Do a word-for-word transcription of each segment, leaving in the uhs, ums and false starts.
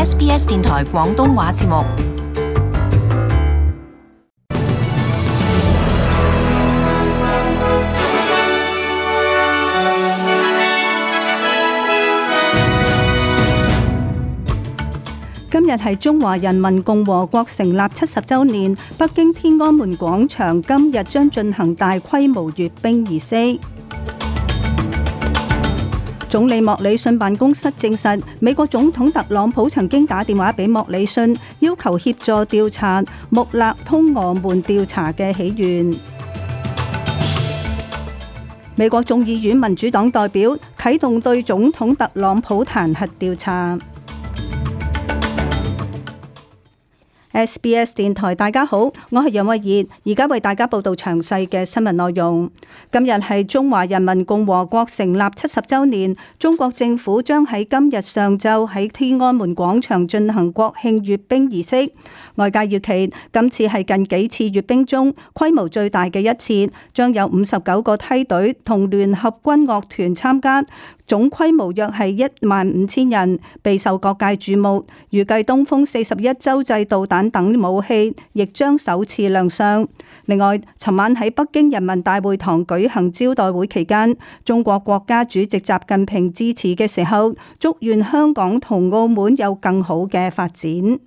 S B S 電台廣東話節目。今日係中華人民共和國成立七十週年，北京天安門廣場今日將進行大規模閱兵儀式。總理莫里遜辦公室證實，美國總統特朗普曾經打電話俾莫里遜，要求協助調查穆勒通俄門調查嘅起源。美國眾議院民主黨代表啟動對總統特朗普彈劾調查。S B S 電台，大家好，我係楊慧儀，而家為大家報道詳細嘅新聞內容。今日係中華人民共和國成立七十週年，中國政府將喺今日上晝喺天安門廣場進行國慶閱兵儀式。外界預期今次係近幾次閱兵中規模最大嘅一次，將有五十九個梯隊同聯合軍樂團參加。總規模約係一萬五千人，備受各界注目。預計東風四十一洲際導彈等武器亦將首次亮相。另外，尋晚喺北京人民大會堂舉行招待會期間，中國國家主席習近平致辭嘅時候，祝願香港同澳門有更好嘅發展。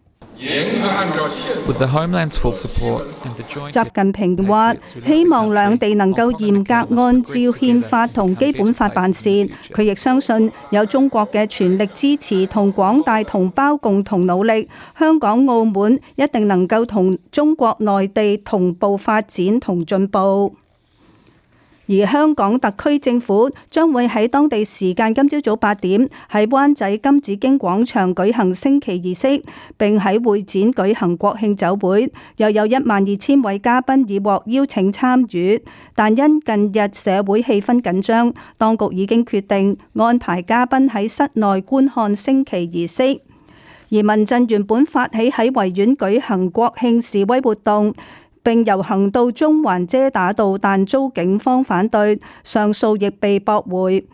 習近平話：希望兩地能夠嚴格按照憲法同基本法辦事。佢亦相信有中國嘅全力支持同廣大同胞共同努力，香港、澳門一定能夠同中國內地同步發展同進步。而香港特區政府將會喺當地時間今朝早八點喺灣仔金紫荊廣場舉行升旗儀式，並喺會展舉行國慶酒會，又有一萬二千位嘉賓已獲邀請參與。但因近日社會氣氛緊張，當局已經決定安排嘉賓喺室內觀看升旗儀式。而民陣原本發起喺維園舉行國慶示威活動，並遊行到中環遮打道，但遭警方反對，上訴亦被駁回。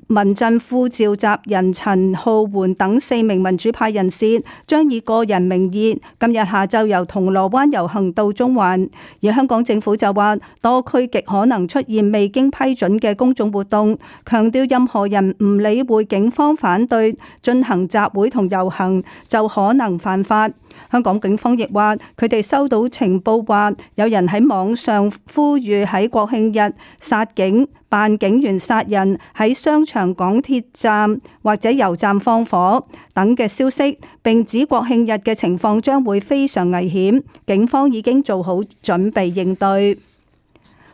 民陣副召集人陳浩桓等四名民主派人士將以個人名義今日下晝由銅鑼灣遊行到中環。而香港政府就話，多區極可能出現未經批准嘅公眾活動，強調任何人唔理會警方反對進行集會同遊行就可能犯法。香港警方亦話，佢哋收到情報話，有人喺網上呼籲喺國慶日殺警、扮警員殺人、喺商場、港鐵站或者油站放火等嘅消息，並指國慶日嘅情況將會非常危險，警方已經做好準備應對。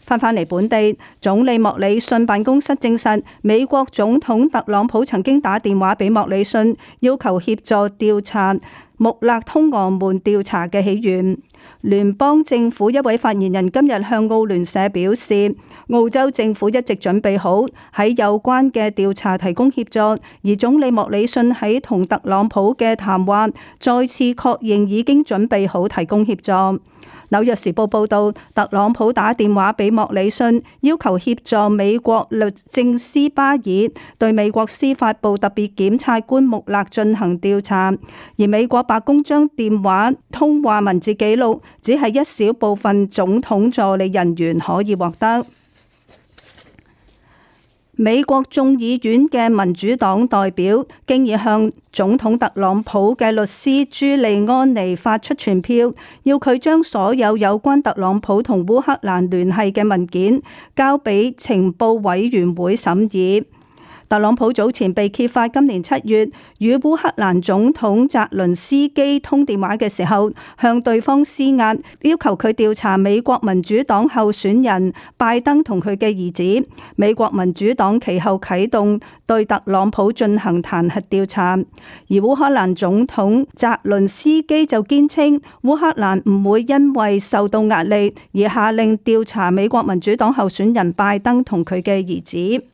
翻返嚟本地，總理莫里遜辦公室證實，美國總統特朗普曾經打電話俾莫里遜，要求協助調查穆勒通俄門調查嘅起源。聯邦政府一位發言人今日向澳聯社表示，澳洲政府一直準備好喺有關嘅調查提供協助，而總理莫里遜喺同特朗普嘅談話再次確認已經準備好提供協助。紐約時報報道，特朗普打電話俾莫里遜，要求協助美國律政司巴爾對美國司法部特別檢察官穆勒進行調查，而美國白宮將電話通話文字記錄只係一小部分總統助理人員可以獲得。美國眾議院嘅民主黨代表經已向總統特朗普嘅律師朱利安尼發出傳票，要佢將所有有關特朗普同烏克蘭聯繫嘅文件交俾情報委員會審議。特朗普早前被揭發今年七月與烏克蘭總統澤倫斯基通電話嘅時候，向對方施壓，要求佢調查美國民主黨候選人拜登同佢嘅兒子。美國民主黨其後啟動對特朗普進行彈劾調查，而烏克蘭總統澤倫斯基就堅稱烏克蘭唔會因為受到壓力而下令調查美國民主黨候選人拜登同佢嘅兒子。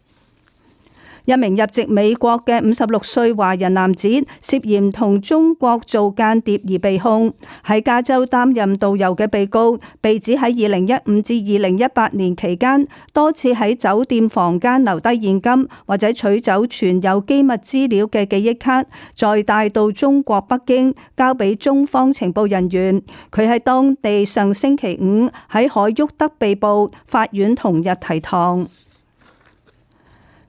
一名入籍美國嘅五十六歲華人男子涉嫌同中國做間諜而被控。喺加州擔任導遊嘅被告，被指喺二零一五至二零一八年期間多次喺酒店房間留低現金或者取走存有機密資料嘅記憶卡，再帶到中國北京交俾中方情報人員。佢喺當地上星期五喺海沃德被捕，法院同日提堂。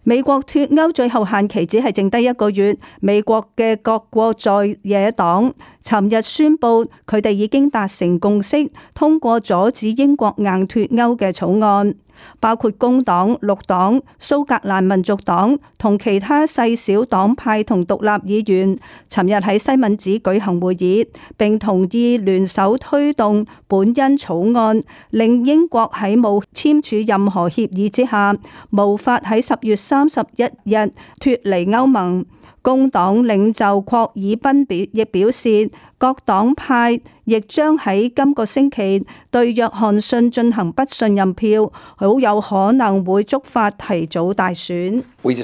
美國脫歐最後限期只係剩低一個月，美國嘅各國在野黨尋日宣布，佢哋已經達成共識，通過阻止英國硬脫歐嘅草案。包括工黨、綠黨、蘇格蘭民族黨同其他細小黨派同獨立議員，尋日喺西敏寺舉行會議，並同意聯手推動本恩草案，令英國喺冇簽署任何協議之下，無法喺十月三十一日脫離歐盟。工黨領袖霍爾賓表亦表示，各黨派亦將喺今個星期對約翰遜進行不信任票，好有可能會觸發提早大選。霍爾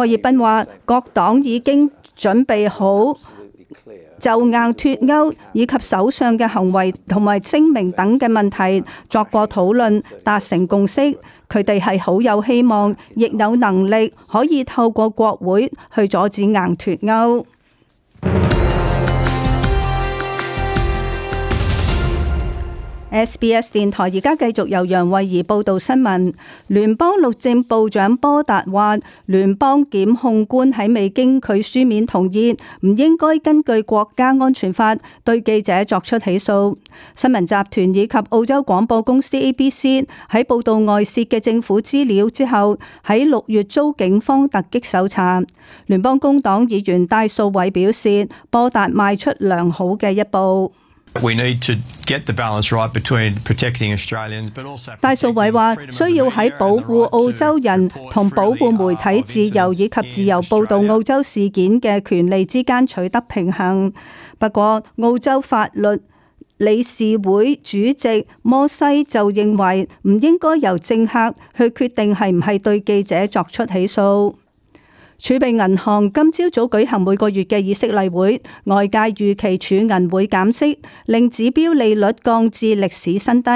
賓話，各黨已經準備好就硬脫歐以及首相嘅行為同埋聲明等嘅問題作過討論，達成共識。佢哋係好有希望，亦有能力可以透過國會去阻止硬脫歐。S B S 電台而家繼續由楊慧儀報道新聞。聯邦律政部長波達話，聯邦檢控官喺未經佢書面同意，唔應該根據國家安全法對記者作出起訴。新聞集團以及澳洲廣播公司 A B C 喺報道外泄嘅政府資料之後，喺六月遭警方突擊搜查。聯邦工黨議員戴素偉表示，波達邁出良好嘅一步。戴素偉話，需要喺保護澳洲人同保護媒體自由以及自由報導澳洲事件嘅權利之間取得平衡。不過，澳洲法律理事會主席摩西就認為，唔應該由政客去決定係唔係對記者作出起訴。儲備銀行今朝早舉行每個月嘅議息例會，外界預期儲銀會減息，令指標利率降至歷史新低，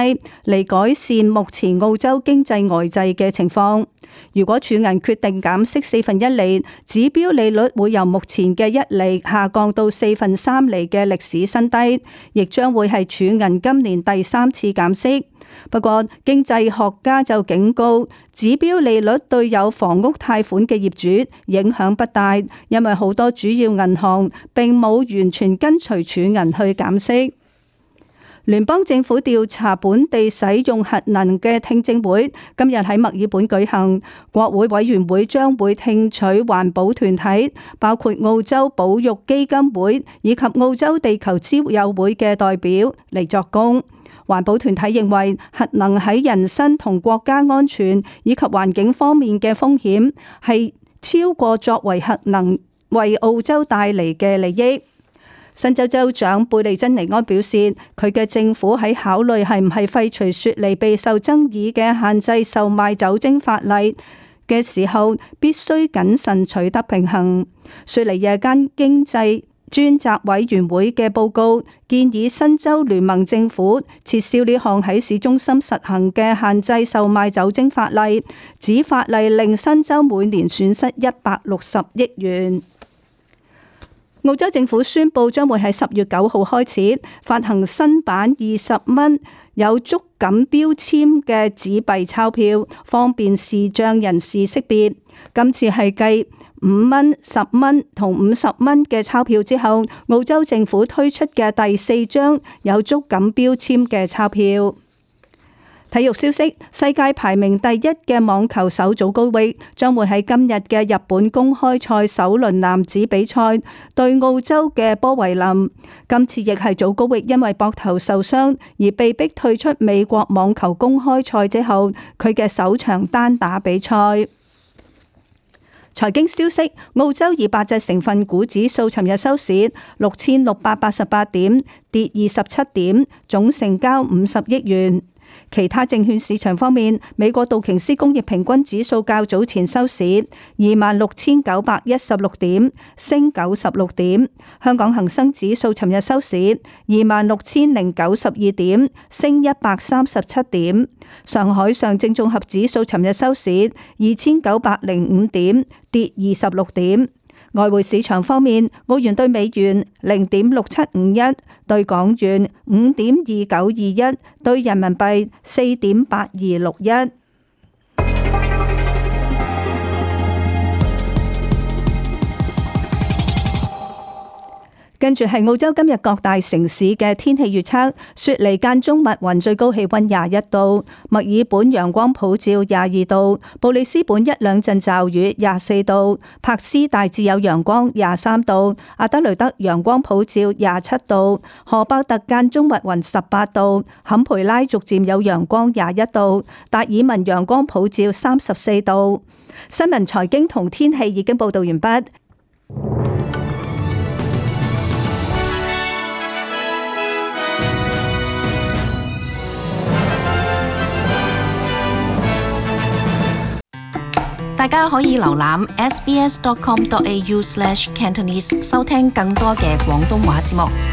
嚟改善目前澳洲經濟呆滯嘅情況。如果儲銀決定減息四分一厘，指標利率會由目前嘅一厘下降到四分三厘嘅歷史新低，亦將會係儲銀今年第三次減息。不過，經濟學家就警告，指標利率對有房屋貸款嘅業主影響不大，因為好多主要銀行並冇完全跟隨儲銀去減息。聯邦政府調查本地使用核能嘅聽證會今日喺墨爾本舉行，國會委員會將會聽取環保團體，包括澳洲保育基金會以及澳洲地球之友會嘅代表嚟作供。環保團體認為核能喺人身同國家安全以及環境方面嘅風險係超過作為核能為澳洲帶嚟嘅利益。新州州長貝利珍尼安表示，佢嘅政府喺考慮係唔係廢除雪梨備受爭議嘅限制售賣酒精法例嘅時候，必須謹慎取得平衡。雪梨夜間經濟專責委員會嘅報告建議新州聯盟政府撤銷呢項喺市中心實行嘅限制售賣酒精法例，指法例令新州每年損失一百六十億元。澳洲政府宣布將會喺十月九號開始發行新版二十蚊有觸感標籤嘅紙幣鈔票，方便視障人士識別。今次係繼五蚊、十蚊同五十蚊嘅鈔票之後，澳洲政府推出嘅第四張有觸感標籤嘅鈔票。體育消息，世界排名第一嘅網球手祖高域將會喺今日嘅日本公開賽首輪男子比賽對澳洲嘅波維林。今次亦係祖高域因為膊頭受傷而被逼退出美國網球公開賽之後，佢嘅首場單打比賽。財經消息，澳洲二百隻成分股指數尋日收市六千六百八十八點，跌二十七點，總成交五十億元。其他證券市場方面，美國道瓊斯工業平均指數較早前收市二萬六千九百一十六點，升九十六點。香港恒生指數尋日收市二萬六千零九十二點，升一百三十七點。上海上證綜合指數尋日收市二千九百零五點，跌二十六點。外匯市場方面，澳元兌美元零點六七五一，兌港元五點二九二一，兌人民幣四點八二六一。跟住係澳洲今日各大城市嘅天氣預測：雪梨間中密雲，最高氣溫廿一度；墨爾本陽光普照廿二度；布里斯本一兩陣驟雨廿四度；柏斯大致有陽光廿三度；阿德雷德陽光普照廿七度；荷伯特間中密雲十八度；坎培拉逐漸有陽光廿一度；達爾文陽光普照三十四度。新聞財經同天氣已經報道完畢。大家可以瀏覽 s b s dot com dot a u slash cantonese 收聽更多嘅廣東話節目。